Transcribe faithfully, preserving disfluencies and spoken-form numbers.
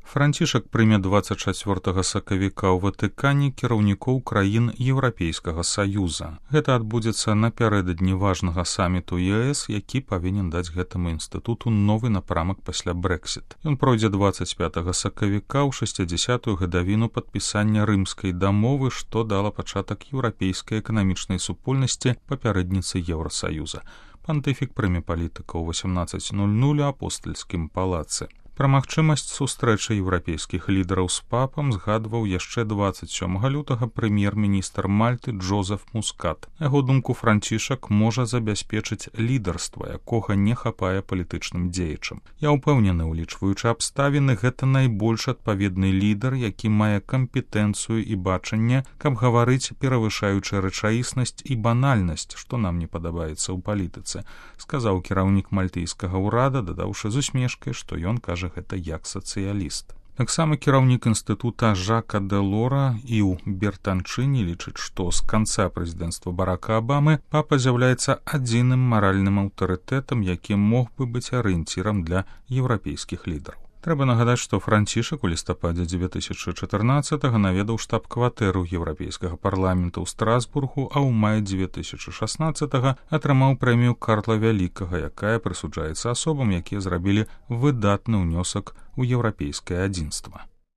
Францішак прыме дваццаць чацвёртага сакавіка ў Ватыкане кіраўнікоў краін Еўрапейскага Саюза. Гэта адбудзецца напярэдадні важнага саміту ЕС, які павінен даць гэтаму інстытуту новы напрамак пасля Брэксіт. Ён пройдзе дваццаць пятага сакавіка ў шэсцідзясятую гадавіну падпісання рымскай дамовы, што дала пачатак еўрапейскай эканамічнай супольнасці папярэдніцы Еўрасаюза. Пантыфік прыме палітыка ў васямнаццаць нуль нуль у апостальскім палацы. Пра магчымасць сустрэчы еўрапейскіх лідараў з папам згадваў яшчэ дваццаць сёмага лютага прэм'ер-міністр Мальты Джозеф Мускат. На яго думку, Францішак можа забяспечыць лідарства, якога не хапае палітычным дзеячам. Я ўпэўнены, улічваючы абставіны, гэта найбольш адпаведны лідар, які мае кампетэнцыю і бачанне, каб гаварыць, перавышаючы рэчаіснасць і банальнасць, што нам не падабаецца ў палітыцы, сказаў кіраўнік мальтыйскага ўрада, дадаўшы з усмешкай, што ён кажа гэта як сацыяліст. Таксама кіраўнік інстытута Жака Дэлора і ў Бертанчыні лічыць, што з канца прэзідэнцтва Барака Абамы папа з'яўляецца адзіным маральным аўтарытэтам, які мог бы быць арыенцірам для еўрапейскіх лідараў. Трэба нагадаць, што Францішак у лістападзе дзве тысячы чатырнаццатага наведаў штаб-кватэру Еўрапейскага парламента ў Страсбургу, а ў маі дзве тысячы шаснаццатага атрымаў прэмію Карла Вялікага, якая прысуджаецца асобам, якія зрабілі выдатны ўнёсак у еўрапейскае адзінства.